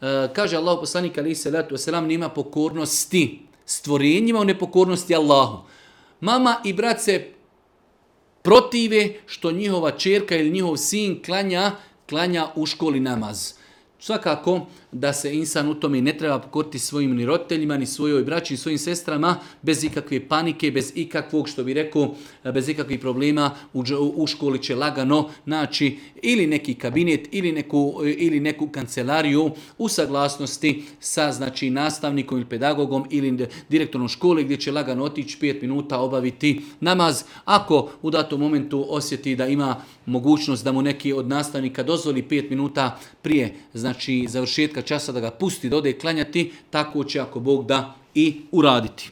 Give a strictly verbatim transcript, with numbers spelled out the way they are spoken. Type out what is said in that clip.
E, kaže Allah poslanik alejhi selatu vesselam nema pokornosti stvorenjima u nepokornosti Allahu. Mama i brat se protive što njihova ćerka ili njihov sin klanja, klanja u školi namaz. Svakako da se insan u tome ne treba pokoriti svojim ni roditeljima, ni svojoj braći, ni svojim sestrama, bez ikakve panike, bez ikakvog, što bi rekao, bez ikakvih problema, u, u školi će lagano naći ili neki kabinet, ili neku, ili neku kancelariju u saglasnosti sa znači, nastavnikom ili pedagogom ili direktorom škole gdje će lagano otići pet minuta obaviti namaz. Ako u datom momentu osjeti da ima mogućnost da mu neki od nastavnika dozvoli pet minuta prije znači završetka časa da ga pusti da ode klanjati, tako će ako Bog da i uraditi.